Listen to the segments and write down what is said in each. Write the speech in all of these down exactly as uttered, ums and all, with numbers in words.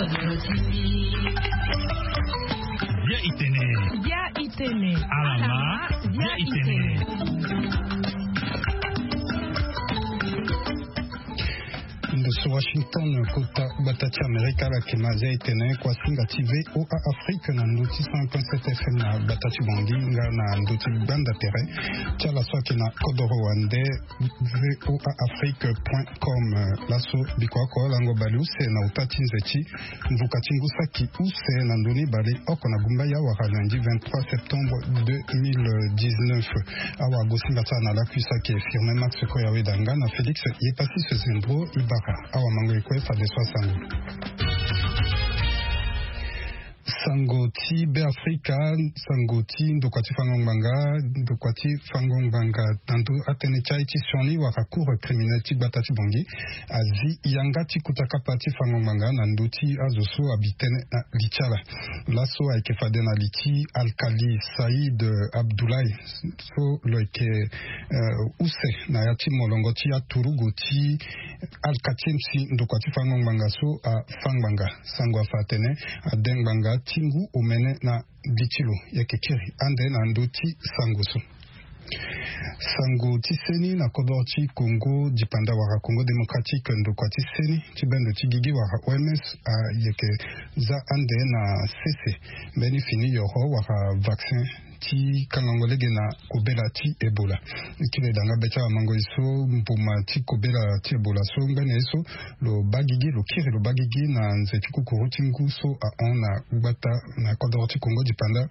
Bia itene. Bia itene. Alama. Bia itene. Ndo so Washington, kota gbata ti Amerika, ala yeke ma zia itene kua singa ti VOA Afrique na ndo ti cent point sept FM na gbata ti Bangui nga na ndo ti gbanda tere ti ala so ayeke na kodoro wande, voa afrique point com. Laso biko oko lango baleuse na uta ti nze ti mvuka ti ngu saki use na ndoni baleoko na gumba ya wara lundi vingt-trois septembre deux mille dix-neuf. Awa gosinga ti ala na lakui saki firme Max Koyaweda nga na Félix Yepasi Sezembro Ibara. Awa mango e kue fade so asango. Sango ti Beafrika, sango ti ndokua ti fango ngbanga, ndokua ti fango ngbanga na ndo atënë ti aye ti sioni wala cour criminel ti gbata ti Bangui azi yanga ti kuta kapa ti fango ngbanga na ndo ti azo so abi tënë na li ti ala. Laso ayeke fade na li ti Alkali Saïd Abdoulaye so lo yeke, eh, use na ya ti molongo ti aturugu ti alkati si ndokua ti fango ngbanga so afa ngbanga. Sango afa atene ade ngbanga ti ngu omene na li ti lo. Yeke kiri ande na ndö ti sango so. Sango ti seni na kodoro ti Congo dipanda wala Congo démocratique, ndokua ti seni ti bendo ti gigi wala O M S ayeke za ande na sese mbeni fini yoro wala vaccin ti kangango lege na kobela ti Ebola. Kiri e da nga be ti awamango e so mbuma ti kobela ti Ebola so ngbene ye so lo baa gigi, lo kiri lo baa gigi na nze ti kukuru ti ngu so ahon na gbata na kodoro ti Congo dipanda.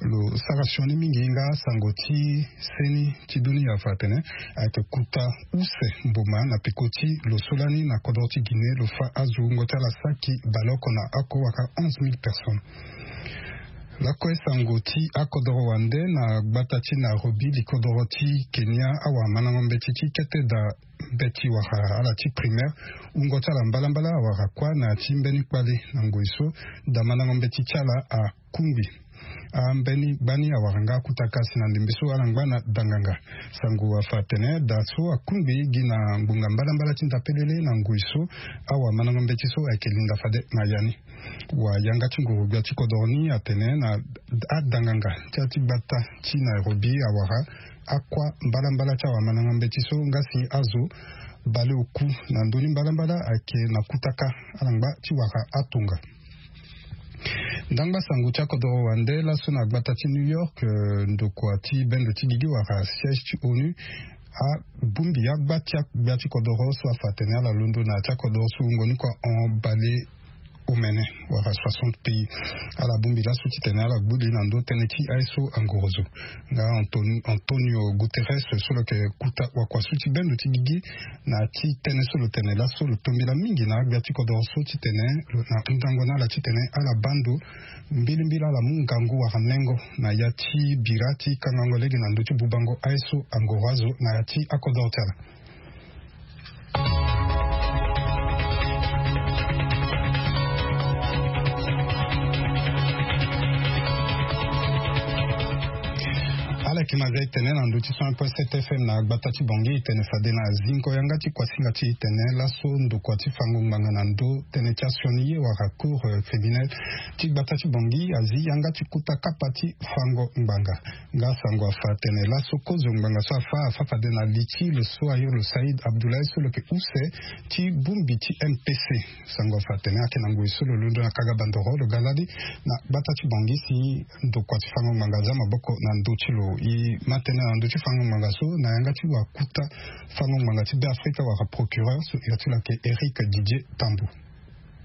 Lo sara sioni mingi nga sango ti seni ti dunia afa atene ayeke kuta use mbuma na peko ti lo so lani na kodoro ti Guinée lo fa azo wungo ti ala saki baleoko na oko wala onze mille personnes. Lakue sango ti akodoro wande na gbata ti Nairobi, likodoro ti Kenya, awamandango mbeti ti kete da mbeti wala ala ti primaire wungo ti ala mbalambala awara kuâ na ya ti mbeni kpale na ngoi so damandango mbeti ti ala akungbi. Ambeni gbani awara nga akutaka si na ndembe so ala ngba na danganga. Sango afa atene da so akungbi gi na ngbonga mbalambala ti ndapelele na ngoi so awamandango mbeti so ayeke linda fade na ya ni. Wayanga ti nguru-gbia ti kodoro ni atene na adanganga ti ya ti gbata ti Nairobi awara akua mbalambala ti awamandango mbeti so nga si azo baleoku na ndö ni mbalambala ayeke na kutaka ala ngba ti wara atonga. Ndangba sango ti akodoro wande laso na gbata ti New York, eh, ndokua ti bendo ti gigi wala siège ti onu abongbi agba ti agbia ti kodoro so afa atene ala londo na ya ti akodoro so wungo ni kua hon bale omene wala soixante pays. Ala bongbi laso titene ala gbu li na ndö tënë ti aye so angorozo. Nga Anton-, Antonio Guterres so lo yeke kuta wakua so ti bendo ti gigi na ya ti tënë so lo tene laso lo tombela mingi na agbia ti kodoro so titene lo na hundango na ala titene ala baa ndo mbilimbili ala mu ngangu wala nengo na ya ti bira ti kangango lege na ndö ti bubango aye so angoro azo na ya ti akodoro ti ala. Ala yeke ma zia e tene na ndö ti cent point sept FM na gbata ti Bangui, e tene fade na zingo yanga ti kuasinga ti e tene laso ndokua ti fango ngbanga na ndö tënë ti asioni ye wala cour, eh, criminel ti gbata ti Bangui azi yanga ti kuta kapa ti fango ngbanga. Nga sango afa atene laso kozo ngbanga so afa, afa fade na li ti lo so airi lo Saïd Abdoulaye so lo yeke use ti bongbi ti M P C. Sango afa atene ayeke na ngoi so lo londo na kaga bandoro lo ga lali na gbata ti Bangui si ndokua ti fango ngbanga aza maboko na ndö ti lo. E ma tene na ndö ti fango ngbanga so na yanga ti wakuta fango ngbanga ti Beafrika wala procureur so iri ti lo ayeke Éric Didier Tambou.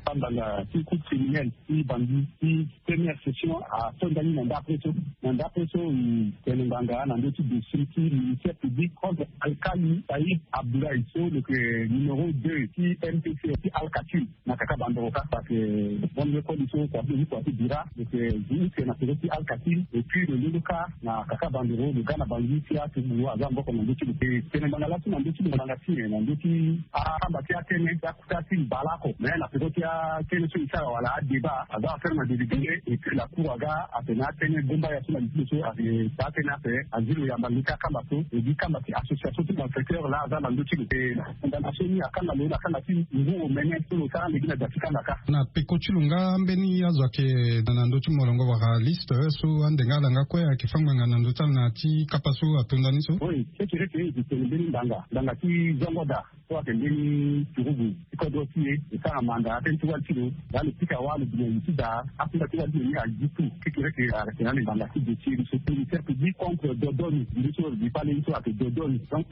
Fango ngbanga ti cour criminelle ti Bangui ti première session atonda ni na ndapre so. Na ndapre so, e tene ngbanga na ndö ti dossier ti ministère public contre Alkali Saïd Abdoulaye so lo yeke numéro deux ti M P C ti Alkatiri na kaka bandoro kâ. Parce que bon, le koli so kua ti kua ti bira lo yeke zi use na peko ti Alkatiri et puis lo londo kâ na kaka bandoro lo ga na Bangui si aturugu aza maboko na ndö ti lo. E tene ngbanga laso na ndö ti lo ngbanga ti nyen na ndö ti akamba ti atënë ti akuta ti mbala oko mais na peko ti Atene so e sara wala adébat aza affaire na délibéré. Et puis la cour aga atene atene gomba ya so na lisi so ake taa tene ape. Azilo yamba leke akamba so e gi kamba ti association ti malfaiteur laa aza na ndö ti lo. E na condamnation ni akanga lo na kanga ti ngu omene so lo sara ande gi na da ti kanga kâ. Na peko ti lo nga mbeni azo ayeke na ndö ti molongo wala liste so ande nga ala nga kue ayeke fâ ngbanga na ndö ti ala na ya ti kapa so atonda ni so. Oui, kekereke e tene mbeni ngbanga ngbanga ti zongo da so ayeke mbeni turugu ti kodro ti e. E sara manda atene ti wali ti lo. Laa lo pika wâ lo bi na li ti da akunda ti wali ti lo ni agi tu. Kekereke ayeke na ni ngbanga ti dossier ni so ministère public contre dodoni. Mbi so mbi pale ni so ayeke dodoni. Donc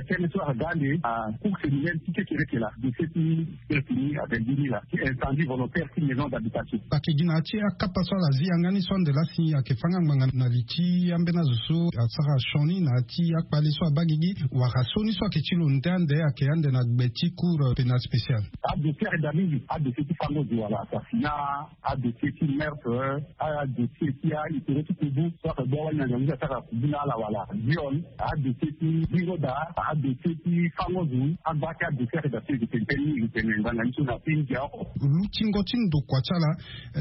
tene so aga ande a cour criminel ti kekereke laa dossier ti kekereke ni ayeke gi ni laa ti incendie volontaire ti maison d'habitation. Ayeke gi na ya ti akapa so ala zi yanga ni so ande laa si ayeke fâ nga ngbanga na li ti ambeni azo so asara sioni na ya ti akpale so abaa gigi wala sioni so ayeke ti lo nde ande ayeke ande na gbe ti cour pénal spécial. Adossier ayeke daa mingi. Adossier ti fango zo wala assassinat, adossier ti meurtre, adossier ti ahistoire ti kubu so ayeke gbia wali na ngangu ti asara kubu na ala wala viol, adossier ti bingo da, adossier ti fango zo. Agba ti adossier ayeke daa so e tene tënë ni e tene ngbanga ni so na ti ndia oko. Lutingo ti ndokua ti ala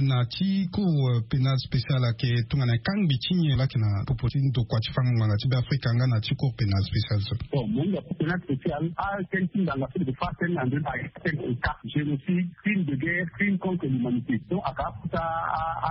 na ti cour pénal spécial ayeke tongana kangbi ti nyen laa ayeke na popo ti ndokua ti fango ngbanga ti Beafrika nga na ti cour pénal spécial so? Bon, mo hinga cour pénal spécial atënë ti ngbanga so lo yeke fâ tënë na ndö ni ayeke tënë état génocide, crime de guerre, crime contre l'humanité. Donc aka akota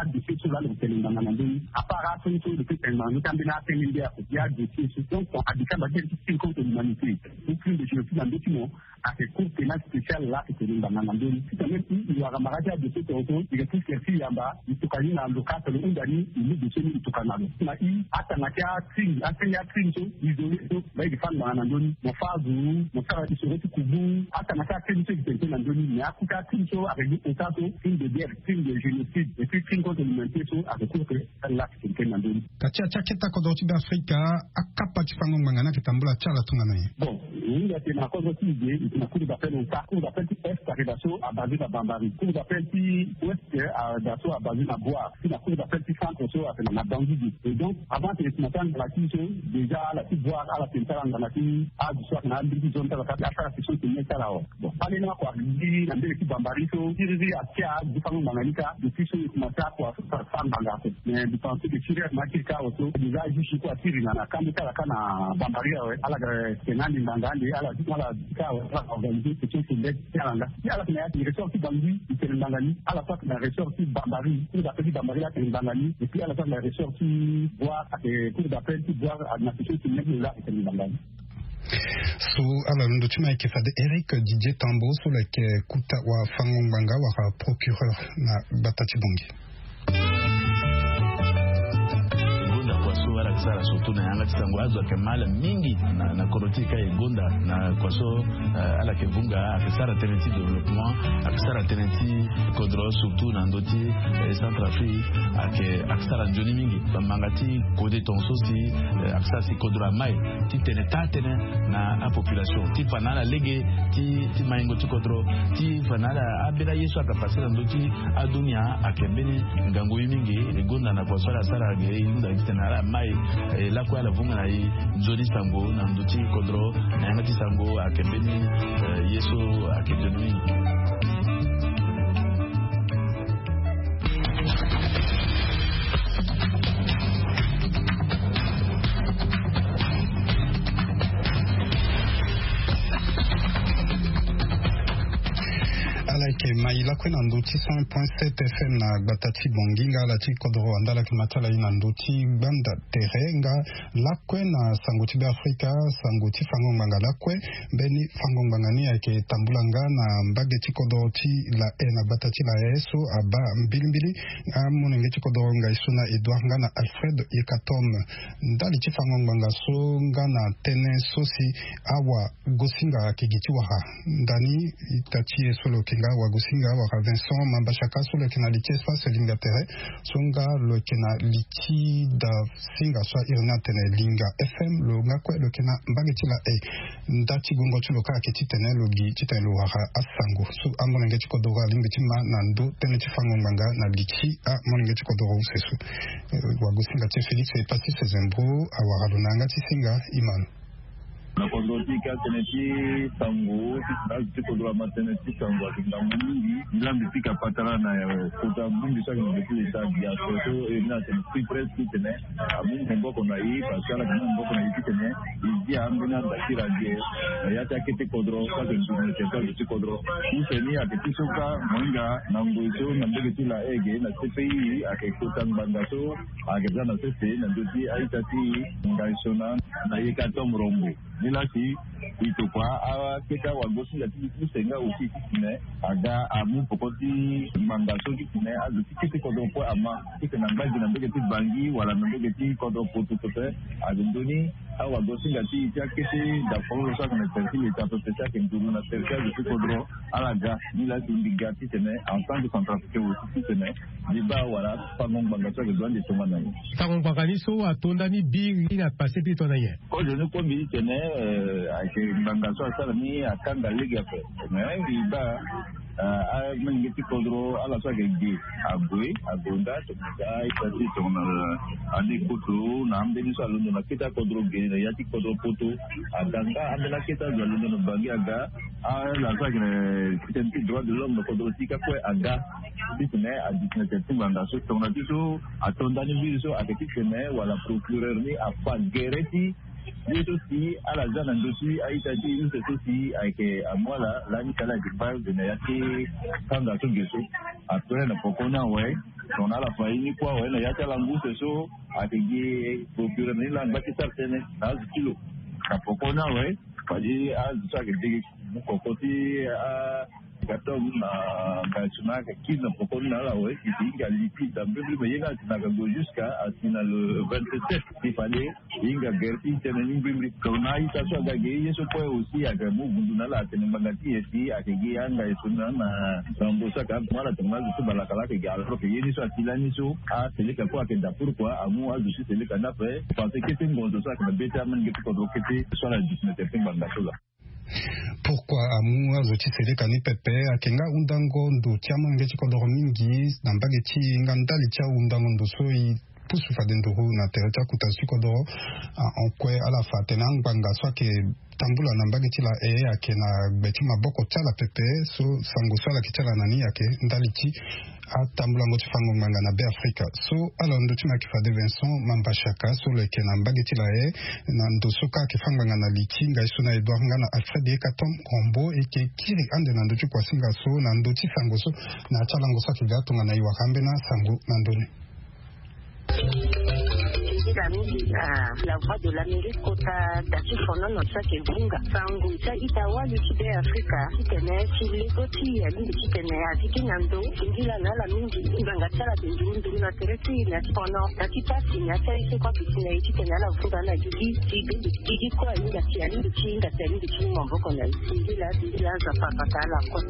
adossier so laa lo yeke tene ngbanga na ndö ni. Apart asioni so lo peut tene ngbanga ndö ti ambeni atënë nde ako gi adossier so. Donc adi kamba tënë ti crime contre l'humanité ou crime de génocide na ndö ti mo. Ayeke cour pénal spécial laa ayeke tene ngbanga na ndö ni. Ti tene même si e wara mara ti adossier tongaso e yeke ti sere ti yamba e tokua ni na lo ka so lo hunda ni e mu dossier ni e tokua na lo. Na i atanga ti acrime atënë ti acrime so isolé so laa e yeke fâ ngbanga na ndö ni. Mo fâ azo, mo sara isoro ti kubu. Atanga ti acrime so e yeke tene tënë na ndö ni mais akota acrime so ayeke gi ota so crime de guerre, crime de génocide et puis crime contre l'humanité so ayeke cour pénal spécial laa ayeke tene tënë na ndö ni. Ka ti ya ti akete kodro ti Beafrika akapa ti fango ngbanga ni ayeke tambula ti ala tongana nyen? Bon, e hinga tene na kodro ti e ge e tene na cour d'appel ota. Cour d'appel ti est ayeke daa so abasé na Bambari. Cour d'appel ti ouest ayeke daa so abasé na Bouar. Ti na cour d'appel ti centre so ayeke na Bangui ge. Et donc avant tene e tene na ti angana ti so déjà ala ti Bouar ala tene ti ala angana ti azo so ayeke na ambeni ti zone ti ala ka ti asara session ti mê ti ala awe. Bon, kpale ni oko agiri na mbege ti Bambari so siriri atia gi fango ngbanga ni ka depuis so e kuma ti akua so sara sara ngbanga ape. Mais mbi pense que siriri akuma akiri ka awe so déjà ajuge kue atiri na na kando ti ala ka na Bambari awe. Ala ga tene ande ngbanga ande ala ti ala ti ka awe ala ga organiser session ti mbeti ti ala nga. Si ala tene na ya ti ressort ti Bangui e tene ngbanga ni. Ala so atene na ressort ti Bambari, cour d'appel ti Bambari laa atene ngbanga ni. Et puis ala so atene na ressort ti Bouar ake cour d'appel ti Bouar ake na session ti mbeti laa atene ngbanga ni. So ala londo ti ma ayeke fade Eric Didier Tambo so lo yeke kota wafango ngbanga wala procureur na gbata ti Bangui. Gonda kua so ala yeke sara surtout na yanga ti sango azo ayeke mal mingi na kodro ti e ka e gonda na kua so. Ala yeke vunga ayeke sara tënë ti développement ayeke sara tënë ti kodro surtout na ndö ti Centrafrique. Ayeke ayeke sara nzoni mingi bamanga ti kode tongaso si ayeke sara si kodro amai ti tene taa tënë na apopulation ti fa na ala lege ti maingo ti kodro ti fa na ala ambeni aye so ayeke pase na ndö ti adunia. Ayeke mbeni ngangu ye mingi e gonda na kua so ala sara ge e hunda gi tene ala mai e lakue ala vunga na e nzoni sango na ndö ti kodro na yanga ti sango ayeke mbeni ye so ayeke nzoni mingi. Ala yeke mai lakue na ndö ti cent point sept F M na gbata ti Bangui nga ala ti kodro wanda ala yeke ma ti ala ye na ndö ti gbanda tere nga lakue na sango ti Beafrika sango ti fango ngbanga lakue. Mbeni fango ngbanga ni ayeke tambula nga na mbage ti kodro ti la e na gbata ti la e so abaa mbilimbili amolenge ti kodro ngai so na Edouard nga na Alfred Yekatom. Ndali ti fango ngbanga so nga na tënë so si awa Gosinga ayeke gi ti wara ndani ita ti e so lo yeke nga Wagosinga wala Vincent Mambashaka so lo yeke na li ti espace Linga Tere so nga lo yeke na li ti da singa so a iri ni atene Linga F M lo nga kue lo yeke na mbage ti la e. Nda ti gongo ti lo kâ ayeke titene lo gi titene lo wara asango so amolenge ti kodoro alingbi ti ma na ndö tënë ti fango ngbanga na li ti amolenge ti kodoro use so. Wagosinga ti e Félix Epassis Zembro awara lo na yanga ti singa e ma lo. Na kodro ti ka tene ti sango ti tene azo ti kodro ama tene ti sango ayeke ngangu mingi. Nzambi pika patara na kota bongbi so ayeke na be ti leta biaso so e ni atene plus près ti tene amu maboko na e parce que ala yeke mu maboko na e ti tene e dia ambeni adakiri age na ya ti akete kodro so ayeke nzoni na territoire ti kodro. Use ni ayeke ti so ka mohinga na ngoi so na mbege ti la ege na cpi ayeke kota ngbanga so ayeke za na sese na ndö ti a-ita ti ngai so na na yeka to morombo. Ni laa si e tokua akete awagosinga ti use nga aussi ti tene aga amu poko ti ngbanga so ti tene azo ti kete kodro kue ama ti tene angba gi na mbege ti bangi wala na mbege ti kodro poto pepe. Azo ndoni awagosinga ti e ti akete dafololo so ayeke na tere ti leta pepe ti ayeke nduru na tere ti azo ti kodro. Ala ga ni laa si mbi ga ti tene en tant que centrafricain aussi ti tene mbi baa wala fango ngbanga so ayeke gue ande tongana nyen. Fango ngbanga ni so ato nda ni biri ni na pase ti tongana nyen? Kozo ni kue mbi ti tene ayeke ngbanga so asara ni akanga lege ape. Mais mbi baa amenge ti kodro ala so ayeke ge ague agonda tongana ga ita ti tongana ande koto na ambeni so alondo na kete akodro ge na ya ti kodro poto. Aga nga ambeni akete azo alondo na bangi aga ala so ayeke na système ti droit de l'homme na kodro ti ka kue aga ti tene adisina tene ti ngbanga so tongana ti so ato nda ni mbiri so ayeke ti tene wala procureur ni afa gere ti ye so si ala za na ndö ti a-ita ti use so si ayeke amu ala lani ti ala yeke kpa ge na ya ti kanga so ge so. Après na poko ni awe tongana ala fa ye ni kue awe na ya ti ala ngu use so ayeke gi procureur ni laa angba ti sara tënë na azo ti lo. Na poko ni awe fade azo so ayeke dege mu koko ti a Katom na Gassou na aka kiri na poko ni na ala awe si si hinga lipi da mbrimbri me ye nga asi na aka gue jusqu'à asi na le vingt-sept si fade hinga gere ti tene ni mbrimbri. Donc na a-ita so aga ge ye so kue aussi aga mu vundu na ala atene ngbanga ti e si ayeke gi anga e so na na na mbo so aka mu ala tongana azo so balaka laa ayeke gi alors que ye ni so asi lani so aseleka kue ayeke da pourquoi amu azo ti seleka ni ape. Parce que kete ngonzo so ayeke na be ti amolenge ti kodro kete so ala duti na tere ti ngbanga so laa. Pourquoi amu azo ti seleka ni pepe? Ayeke nga ahundango ndo ti amolenge ti kodoro mingi na mbage ti e nga ndali ti ahundango ndo so e pusu fade nduru na tere ti akota zo ti kodoro. Ahon kue ala fa atene angbanga so ayeke tambula na mbage ti la e ayeke na gbe ti maboko ti ala pepe. So sango so ala yeke ti ala na ni ayeke ndali ti atambulango ti fango ngbanga na be afrika. So ala ndo ti maki fade Vincent Mambashaka so lo yeke na mbage ti lae na ndo so ka ayeke fa ngbanga na li ti ngai so na Edouard nga na Alfred Hekaton Rombo e yeke kiri ande na ndö ti kuasinga so na ndö ti sango so na ya ti alango so ayeke ga tongana e wara ambeni asango na ndö ni. Ti da mingi na la voix de l'Amérique kota da ti fonono so ayeke vunga sango ti a-ita wali ti be afrika titene ti lego ti e alingbi titene azi gi na ndo singila na ala mingi. Ngbanga ti ala ayeke nduru nduru na tere ti e na ti fono na ti pasi na ya ti aye so kue aduti na e titene ala vunga ala gigi ti gigi kue ahinga si alingbi ti hinga si alingbi ti mu maboko na e. Singila singila aza papata ala kue.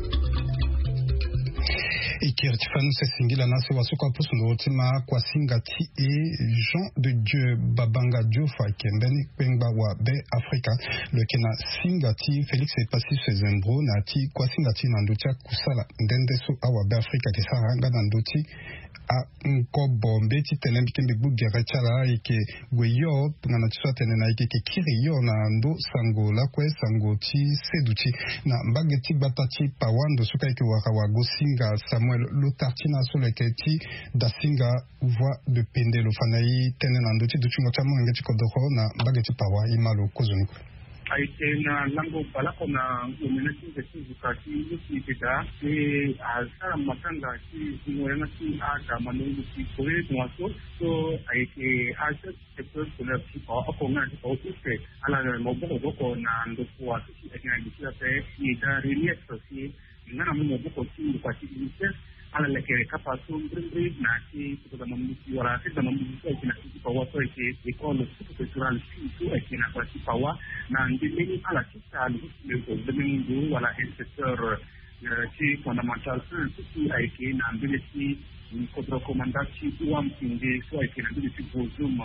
E kiri ti fani use singila na asewa so kue apusu nduru ti ma kuasinga ti e Jean de Dieu Babanga Diouf ayeke mbeni kpengba wa be afrika. Lo yeke na singa ti Félix Epassi Sezembro na ya ti kuasinga ti e na ndö ti akusala nde nde so awa be afrika ayeke sara nga na ndö ti angobo mbeti tene mbi ke mbi gbu gere ti ala ayeke gue hio tongana ti so atene na e yeke kiri hio na ndo sango lakue sango ti seduti na mbage ti gbata ti pawa ndo so ka e yeke wara wagosinga Samuel Lotartina so lo yeke ti dasinga voix de pende lo fa na e tënë na ndö ti dutingo ti amolenge ti kodoro na mbage ti pawa e ma lo kozoni kue. Ayeke na lango baleoko na ngomene ti nze ti nzuka ti luti eke daa pe asara matanga ti zingo yanga ti ada malongo ti kore tongaso so ayeke a chef du secteur scolaire ti pawa oko nga na ti pawa use ala maboko boko na ndokua so si ayeke na gi ti ape ida relief si nga na mu maboko ti ndokua ti unicef. Ala lekere kapa so mbrimbri na ti kota da mambuti wala ti da mambuti so ayeke na ti pawa so ayeke école sous préfectorale si so ayeke na kota ti pawa na ndemeni ala ti sa lo so ti meko ndemeni ndo wala inspecteur ti fondamental un so si ayeke na mbele ti kodro komanda ti wam kinde so ayeke na mbele ti bozum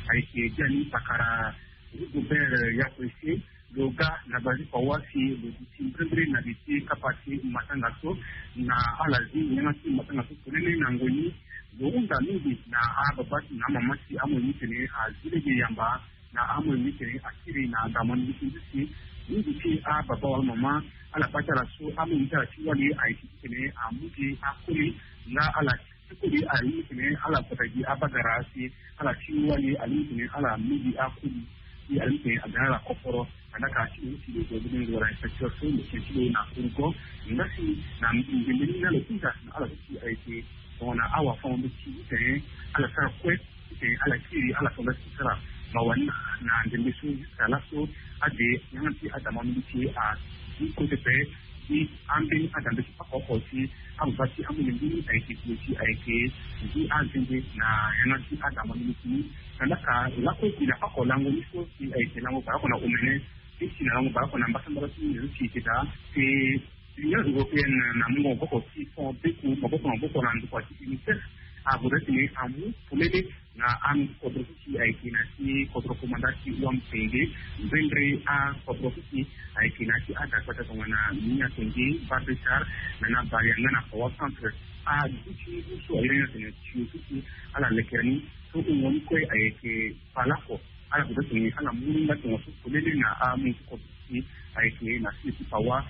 ayeke biani pakara rigobert yakoise. Lo ga na bale ti pawa si lo duti mbrimbri na li ti kapa ti matanga so na ala zi yanga ti matanga so polele na ngoi ni. Lo hunda mingi na ababa ti na amama ti amoi ni tene azi lege yamba Na amoyo ni tene akiri na adama ni ti si mingi ti ababa wala mama ala bata ala so amoyo ni ti ala ti wali ayeke ti tene amu gi akoli nga ala ti koli alingbi tene ala bata gi abagara si ala ti wali alingbi tene ala mu gi akoli. Si alingbi tene aga na ala kokoro. Andaka ti lo ti lo zo bene wala inspecteur so lo tene ti lo na kurukon nga si na ndembe ni na lo hinga na ala so si ayeke tongana awafango-nde ti tene ala sara kue. Titene ala kiri ala tonga ti sara mawa ni na ndembe so jusqu'à laso ade yanga ti adama mingi ti a ti kote pe ti ambeni adambe ti pako oko ti angba ti amolenge ni ayeke ti lo ti ayeke ngi azende na yanga ti adama mingi ti ni. Na ndaka lakue ti na pako lango ni so si ayeke lango baleoko na omene ti si na lango baleoko na mbasambala ti ni zo ti yeke daa. Te L'Union européenne na mungo maboko ti fond beku maboko na maboko na ndokua ti UNICEF ague ti tene amu polele na akodro so si ayeke na ti kodro komanda ti Wamtenge. Mbendre akodro so si ayeke na ti adakpata tongana Minya Tenge, Babesar, na na Barianga na Pawa Centre. Aduti ngu so ayeke na tene tio so si ala lekere ni so wungo ni kue ayeke palako. Ala gue ti tene ala mu ni nga tongaso polele na amu ti kodro so si ayeke na sio ti Pawa.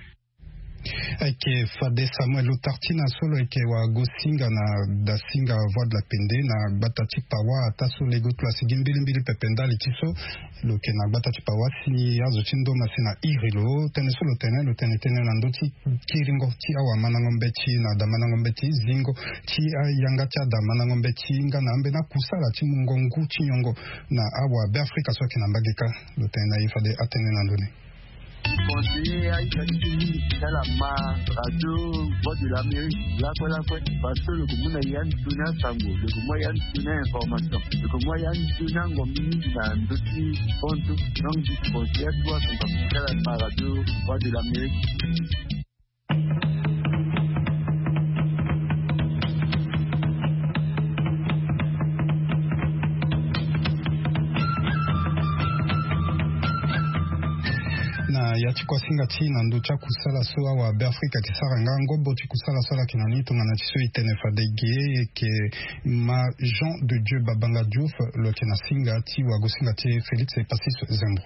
Ayeke fade Samuel Lutartina so lo yeke wagosinga na dasinga Voix de la Pende na gbata ti Pawa ataa so lego ti lo asi gi mbilimbili pepe ndali ti so lo yeke na gbata ti Pawa si azo ti ndo ma si na iri lo tënë so lo tene lo tene tënë na ndö ti kiringo ti awamandango mbeti na damandango mbeti zingo ti ayanga ti adamandango mbeti nga na ambeni akusala ti mungo ngu ti nyongo na awabeafrika so ayeke na mbage kâ. Lo tene na ye fade atënë na ndö ni. Conseiller aita ti tala ma radio Voix de l'Amérique lakue lakue parce que lo ko mu na ya ndoni asango, lo ko mu ya ndoni information, lo ko mu ya ndoni angombi mingi na ndö ti sport. Donc conseiller atu asango tala ma radio Voix de l'Amérique. Na ya ti kuasinga ti na ndö ti akusala so awabeafrika ayeke sara nga ngobo ti kusala so ala yeke na ni tongana ti so e tene fade ge e yeke ma Jean de Dieu Babanga Diouf lo yeke na singa ti wagosinga ti Félix Epasis Zembro.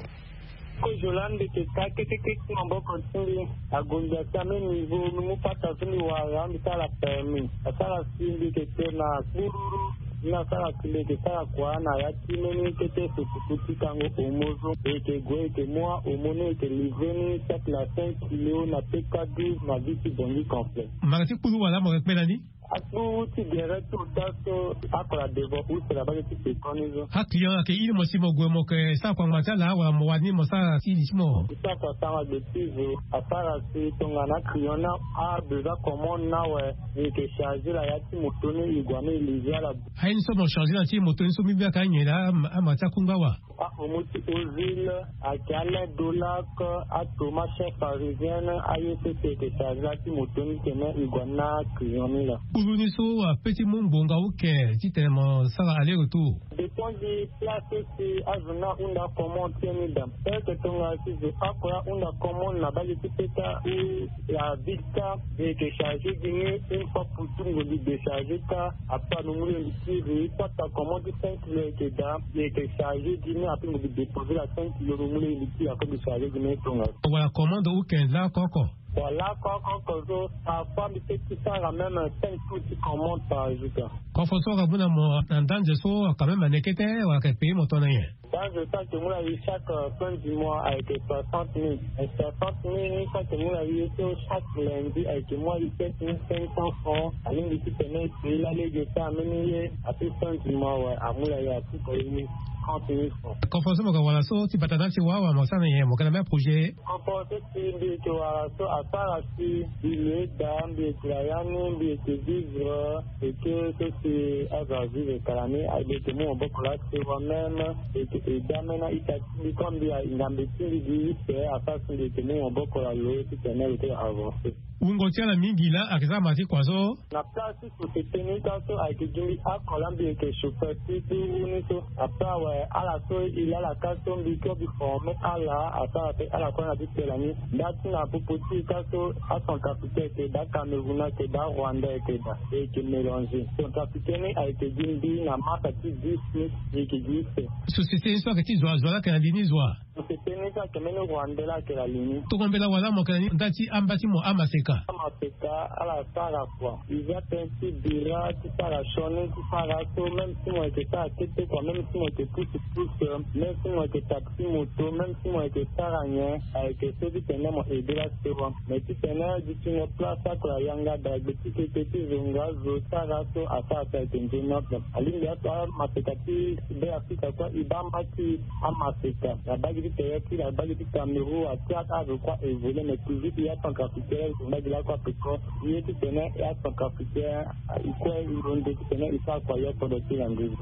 Kozo laa mbi yeke ka kete kete ti maboko ti mbi. Ague mbi asi ame niveau mbi mu pata so mbi wara mbi sara permis asara si mbi yeke te na kpururu. Ni asara si mbi yeke sara kua na ya ti mbeni kete sosuku ti kango homo so e yeke gue e yeke mu ahomo ni e yeke livre ni chaque na cinq kilo na peka douze na vie ti bongi conflet. Mara ti kpuru wala mo yeke kpe na ni. Akpu ti gere ti ota so ako na devant use na bage ti pekoni so. Aclient ayeke iri mo si mo gue mo yeke sara kua ngba ti ala wala mo wani mo sara ti li ti mo. Ti sara kua sara gbe ti zo asara si tongana aclient ni abesoin commande ni awe. E yeke charge la ya ti moto ni e gue ni e livre ala. Aye ni so mo charge na ti moto ni so mbi mbi ayeke anyen laa ama ti akungba wa. Ahomo ti ozile ayeke alain dolak, atoma chef parisienne, aye so si eke charge la ti moto ni tene e gue na client ni laa. Kpuru ni so ape ti mu ngbonga oke titene mo sara aller retour. Dépend di place so si azo ni ahunda commande ti ye ni daa. Eke tongana si zo oko ahunda commande na bage ti peta ou la ville ka, e yeke charge gi ni une fois pour tout, ngongi décharge ka. Après lo mu lo ye mbi kiri, pata commande ti cinq kilo eke daa, e yeke charge gi ni, après lo mbi déposer la cinq kilo lo mu lo ye mbi kiri, après lo charge gi ni tongaso. Wala commande ou quinze la oko oko. Wala oko oko so parfois mbi peut ti sara même cinq tours ti commande par jour ka. Kofo so aka mu na mo na ndanze so quand même aneke te wala aka payer mo tongana nyen? Ndanze so ake mu na ye chaque fin du mois ayeke soixante mille. Soixante mille ni so ake mu na ye so chaque lundi ayeke mu na ye sept mille cinq cents francs. Alingbi titene e payer lalege so ameni ye, ape fin du mois awe amu na ye apuka ye trente mille francs. Kofo so mo ga wala so ti bata na ti wa awe mo sara na nyen, mo ga na même projet? Kofo so si mbi yeke wara so asara si mbi lo eda mbi yeke na ya ni mbi yeke vivre. Eke so si azo avivre kala ni, mbi yeke mu maboko laa si moi même mbi yeke aide ameni a-ita ti mbi comme mbi ahinga mbi ti mbi gi use asara si mbi yeke mu maboko na lo titene lo ti avancer. Wungo ti ala mingi laa ayeke sara ma ti kua so. Na place ti société ni ka so ayeke gi mbi oko laa mbi yeke chauffeur ti kpuru ni so. Après awe Ala so e laa ala ka so mbi kue mbi forme ala asara pe ala kue na ti tela ni. Nda ti na popo ti e ka so acentrafricain ayeke daa, cameroun ayeke daa, rwandais ayeke daa, e yeke mélanger. Centrafricain ni ayeke gi mbi na marsa ti dix ni, e yeke gi use. Société ni so ayeke ti zo azo laa ayeke na li ni zo wa? Société ni so ayeke mbeni rwandais laa ayeke na li ni. Tongana mbela wala mo yeke na ni nda ti amba ti mo amaseka. Amaseka ala sara kua. Iza tënë ti bira ti sara sioni ti sara so même si mo yeke sara kete kua, même si mo yeke pousse pousse, même si mo yeke taxi moto, même si mo yeke sara nyen, ayeke so titene mo aide la sewa. Mais titene dutingo place akula yanga dagbe ti kete ti zonga zo sara so asara so ayeke nzoni ape. Alingbi ato amaseka ti Be Afrika kue e baa mbaki amaseka na bagi ti tere ti na bagi ti Cameroun, atia ave kue évoluer, mais toujours ti ya centrafricain mbagi lakue ape kue. Ye titene ya centrafricain e kue e londo titene e sara kua ya kodro ti na nduru.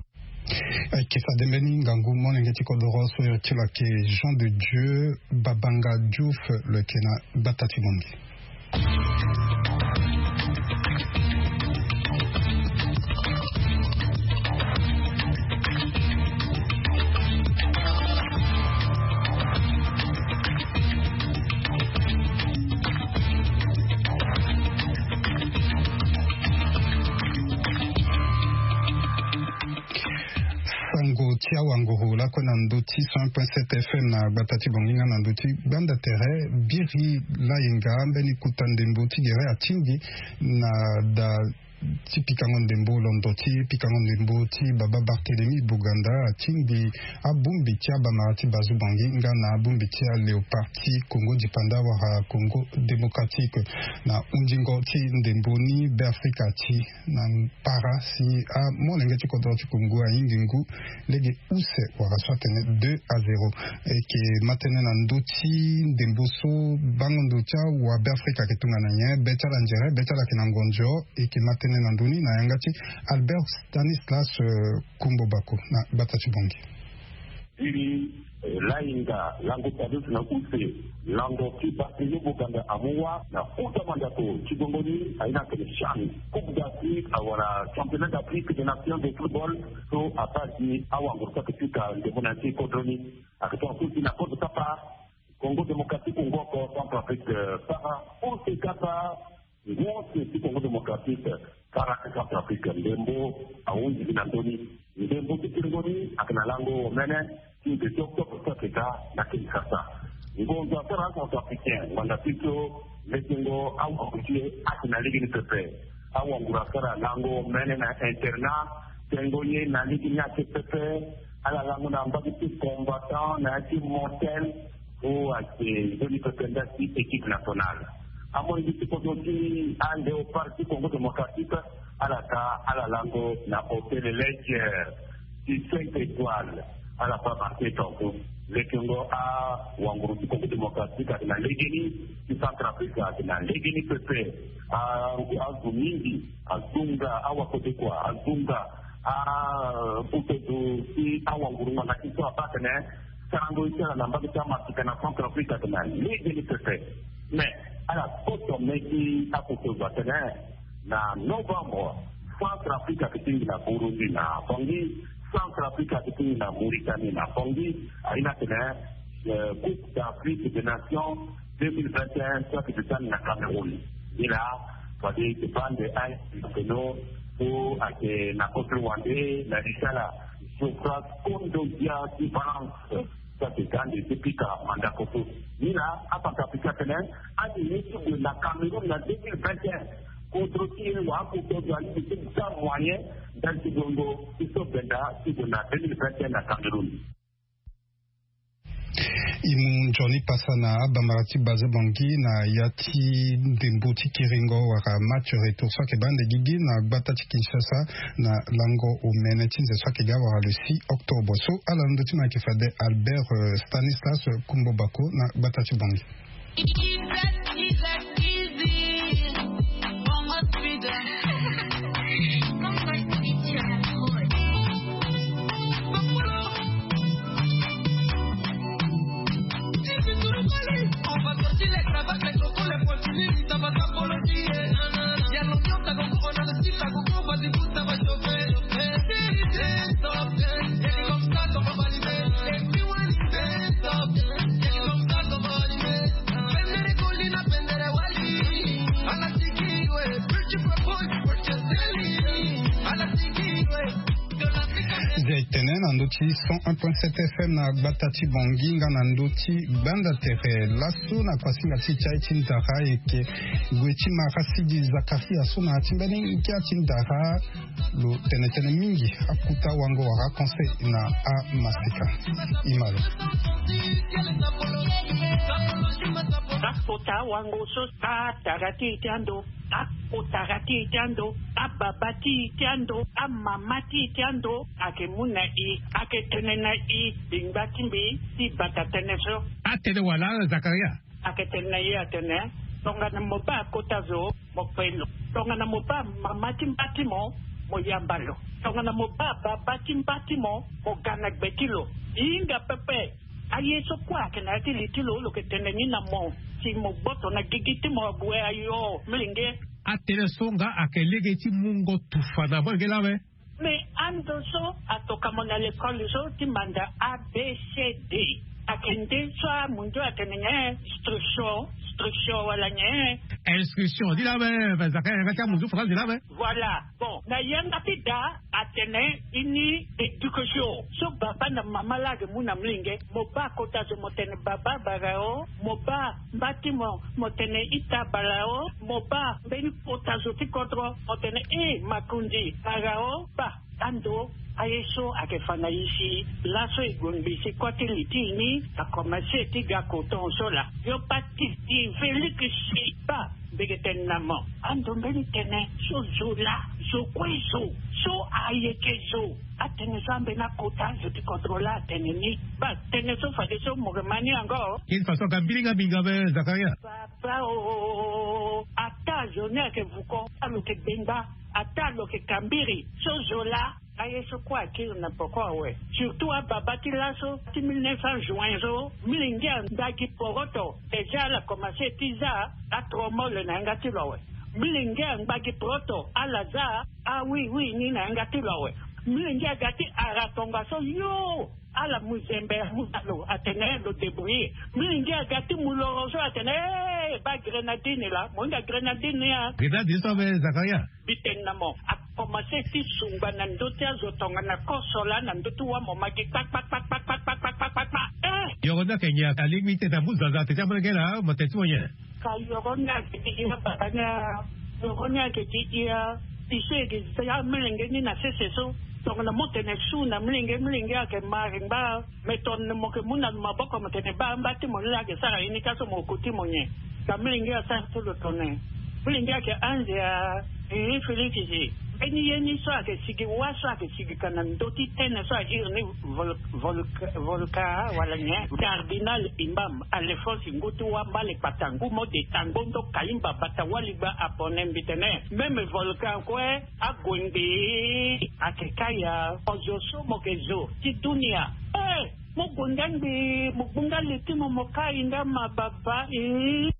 Ayeke fade mbeni ngangu molenge ti kodoro so iri ti lo ayeke Jean de Dieu Babanga Diouf, lo yeke na gbata ti Bangui. Sango ti awanguru lakue na ndö ti cent point sept F M na gbata ti Bongi nga na ndö ti gbanda tere. Biri Layenga, mbeni kota ndembo ti gere, atingbi na da ti pikango ndembo, londo ti pikango ndembo ti baba Barthélemy Boganda, atingbi abongbi ti abamara ti Bazu Bongi nga na abongbi ti aléopard ti Congo Dipanda wala Congo Démocratique. Na hundingo ti ndembo ni, Beafrika ati na para si amolenge ti kodro ti Congo ahingi ngu lege use wala so atene deux à zéro. E yeke ma tënë na ndö ti ndembo so bango ndo ti awa Beafrika ayeke tongana nyen, be ti ala nzere, be ti ala ayeke na ngonzo. E yeke ma tënë na ndö ni na yanga ti Albert Stanislas, eh, Kumbo Bako na gbata ti Bongi. Biri, eh, Layenga, lango Tadeusz na use, lango ti Barthélemy Boganda amu wâ na kota mandako ti gbongo ni, aye ni atene CHAN, Coupe d'Afrique, awara Championnat d'Afrique des Nations de football, so abaa gi awanguru so ayeke pika ndembo na ya ti kodro ni. Ayeke tongaso si na kodro kapa Congo Démocratique, Congo oko, Centrafrique, eh, sara use kapa ngu use ti Congo Démocratique, sara ti Centrafrique, ndembo ahunzi gi na ndö ni. Ndembo ti kiringo ni ayeke na lango omene ti nze ti octobre so ayeke ga na Kinshasa. Ngonzo asara acentrafricain ngbanga ti so lekengo awanguru ti e ayeke na lege ni pepe. Awanguru asara lango omene na internat, tengo ye na lege ni ayeke pepe. Ala lango na mbage ti combattant na ya ti mortel. So ayeke nzoni pepe nda ti équipe nationale. Amolenge ti kodro ti aléopard ti Congo Démocratique, ala ka ala lango na hôtel Ledger ti cinq étoiles. Ala baa marqué tongaso. Lekengo awanguru ti Congo Démocratique ayeke na legeni, ti Centrafrique ayeke na legeni pepe. A, azo mingi azonga awakodekua, azonga a, butozo ti awanguru ngbanga ti so abaa atene sarango ye ti ala na mbage ti amasika na Centrafrique atene na legeni pepe. Mais ala koto me ti akoto zo atene na novembre, Centrafrique ayeke tingbi na Burundi na Bangui, Centrafrique ayeke tingbi na Mauritanie na Bangui. Aye ni atene, eh, Coupe d'Afrique des Nations deux mille vingt et un so ayeke tene na Cameroun. Nilaa fade e baa nde aye na peno so ayeke na kote wande na li ti ala, Geoffroy Kondogbia ti Valence, so ayeke ga nde ti pika mandako so. Nilaa aCentrafricain atene ande ye ti gue na Cameroun na deux mille vingt et un, kodro ti e wala akoto azo alingbi ti ga moyen ndali ti gongo ti so benda ti gue na deux mille vingt et un na Cameroun. E mu nzoni pasa na abamara ti Baza Bangui na ya ti ndembo ti kiringo wala match retour so ayeke baa nde gigi na gbata ti Kinshasa na lango omene ti nze so ayeke ga wala le six octobre. So ala na ndö ti mo ayeke fade Albert, euh, Stanislas Kumbo Bako na gbata ti Bangui. Tene na ndö ti cent un point sept F M na gbata ti Bangui nga na ndö ti Gbanda Tere. Laso na kuasinga ti ti aye ti ndara ayeke gue ti mara Sidi Zakaria so na ya ti mbeni ngia ti ndara. Lo tene tënë mingi akota wango wala conseil na amaseka. Imalo. Akota wango so atara ti e ti ando, akotara ti e ti ando, ababa ti e ti ando, amama ti e ti ando ayeke mu na e, ayeke tene na e, lingba ti mbi ti bata tënë so. Atene wala Zakaria? Ayeke tene na e atene, tongana mo baa kota zo, mo pe lo. Tongana mo baa mama ti mba ti mo, mo yamba lo. Tongana mo baa baba ti mba ti mo, mo ga na gbe ti lo. E hinga pepe. Aye so kue ayeke na ya ti li ti lo, lo yeke tene ni na mo, si mo gboto na gigi ti mo ague ayo, milenge. Atene so nga ayeke lege ti mungo tufa na molenge lawe. Mais ando so atoka mo na lekole so ti manda A B C D. Ayeke nde so amundu atene nyen? Instruction, instruction wala nyen? Inscription, ni lawe. Zakaria yanga ti amundu faranzi lawe. Voilà. Bon, na yanga ti da atene ini éducation so baba na mama laa ayeke mu na milenge. Mo baa kota zo, mo tene baba barao. Mo baa mba ti mo, mo tene ita barao. Mo baa mbeni kota zo ti kodro, mo tene e makonzi barao. Baa ando aye so ayeke fa na e si laso e gue ngbii si kua ti li ti e ni akomanse ti ga koton so laa. Yo baa ti, ti Félix si baa. Mbi yeke tene na mo, ando mbeni tënë so zo laa, zo kue zo, so ayeke zo. Atënë so ambeni akota zo ti kodro laa atene ni. Baa tënë so fadeso mo yeke ma ni yango. Kini faso aga mbilinga minga be Zakaria. Papa o, ata zo ni ayeke vuko, alo yeke gbengba, ata lo yeke kambiri so zo laa. Aye so kue akiri na poko awe. Surtout ababa ti laso ti mille neuf cents juin so, milenge angba gi poroto. Déjà ala komanse ti za atromole na yanga ti lo awe. Milenge angba gi poroto, ala za awiwi ni na yanga ti lo awe. Milenge aga ti ara tongaso yo, ala mu zembe amu na lo atene lo débrouiller. Milenge aga ti mu loro so atene, eh, baa grenadine laa, mo hinga grenadine ni a. Grenadine so awe Zakaria. Mbi tene na mo, akomanse ti sungba na ndö ti azo tongana koso laa na ndö ti wa mo ma gi kpakpakpakpakpakpakpakpakpakpakpa. Eh! Yoro ni ayeke nyen? Alingbi ti tene amu zaza atene ti amolenge laa, mo tene ti mo nyen? Ka yoro ni ayeke ti ya baba ni a, yoro ni ayeke ti ya. Biso e yeke za amolenge ni na sese so. Tongana mo tene su na molenge, molenge ayeke ma ringba. Me tongana mo yeke mu na lo maboko mo tene baa mba ti mo ni laa ayeke sara ye ni ka so mo ko ti mo nyen? Ka milenge asara so lo tene. Milenge ayeke anze a. Ii, Félix si. Mbeni ye ni so ayeke sigi wa so ayeke sigi ka na ndö ti tënë so a iri ni vol-, vol-, volka wala nyen? Cardinal imam Alphonse ngu ti wa mbale kpata ngu mo de tango ndo kaimba bata waligba apone mbi tene. Même volcan kue ague ngbii. Ayeke kâ ya. Ozo so mo yeke zo ti dunia. Eh! Mo gue nga ngbii, mo gbu nga li ti mo, mo kai nga ma baba, eh.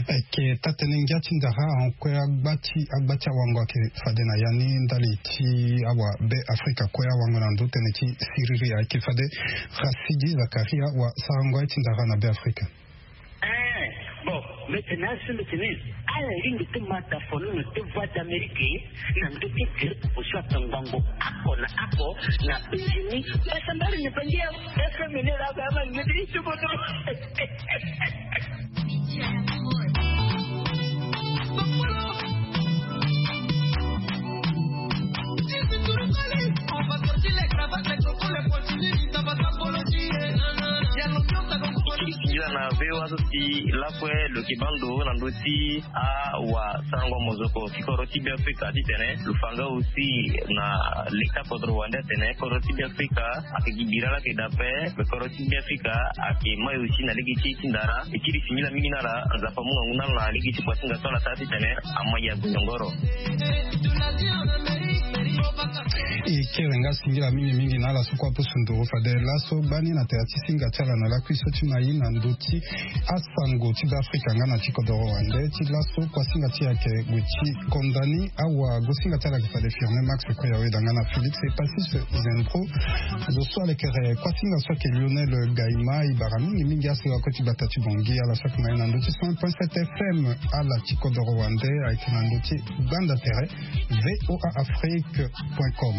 Ayeke taa-tënë ngia ti ndara ahon kue agba ti, agba ti awango ayeke fade na ya ni ndali ti awa Be Afrika kue awango na ndö tënë ti siriri ayeke fade. Rasidi Zakaria wa sarango aye ti ndara na Be Afrika. Eh, bon, mbi tene asi mbi tene ala lingbi ti ma dafono na ti Voix d'Amérique na ndö ti direct osu atongbango ako na ako na Béjini. Basa mbali ni bangi ya F M ni la ba ma ngeti ti bodo. Singila na V O A so si lakue lo yeke baa ndo na ndö ti awasarango mozoko ti kodro ti Be Afrika titene lo fa nga aussi na leta kodro wande atene kodro ti Be Afrika ayeke gi bira laa ayeke daa ape. Me kodro ti Be Afrika ayeke mai aussi na lege ti e ti ndara. E kiri singila mingi na ala, Nzapa amu ngangu na ala na lege ti kuasinga so ala sara titene ama ya gue nyongoro. E kere nga singila mingi mingi na ala so kue apusu nduru fade laso gbani na tere ti singa ti ala na lakui so ti mai na ndö ti asango ti Be Afrika nga na ti kodoro wande ti laso kuasinga ti e ayeke gue ti konda ni. Awa gosinga ti ala ayeke fade Firmin Max Koyawe da nga na Félix Epasis Zembro. Zo so alekere kuasinga so ayeke Lionel Gaima. E bara mingi mingi aso akue ti gbata ti Bangui. Ala so ayeke mai na ndö ti cent point sept F M, ala ti kodoro wande ayeke na ndö ti gbanda tere V O A Afrique. Point com.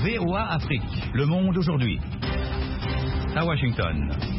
V O A Afrique, le monde aujourd'hui. À Washington.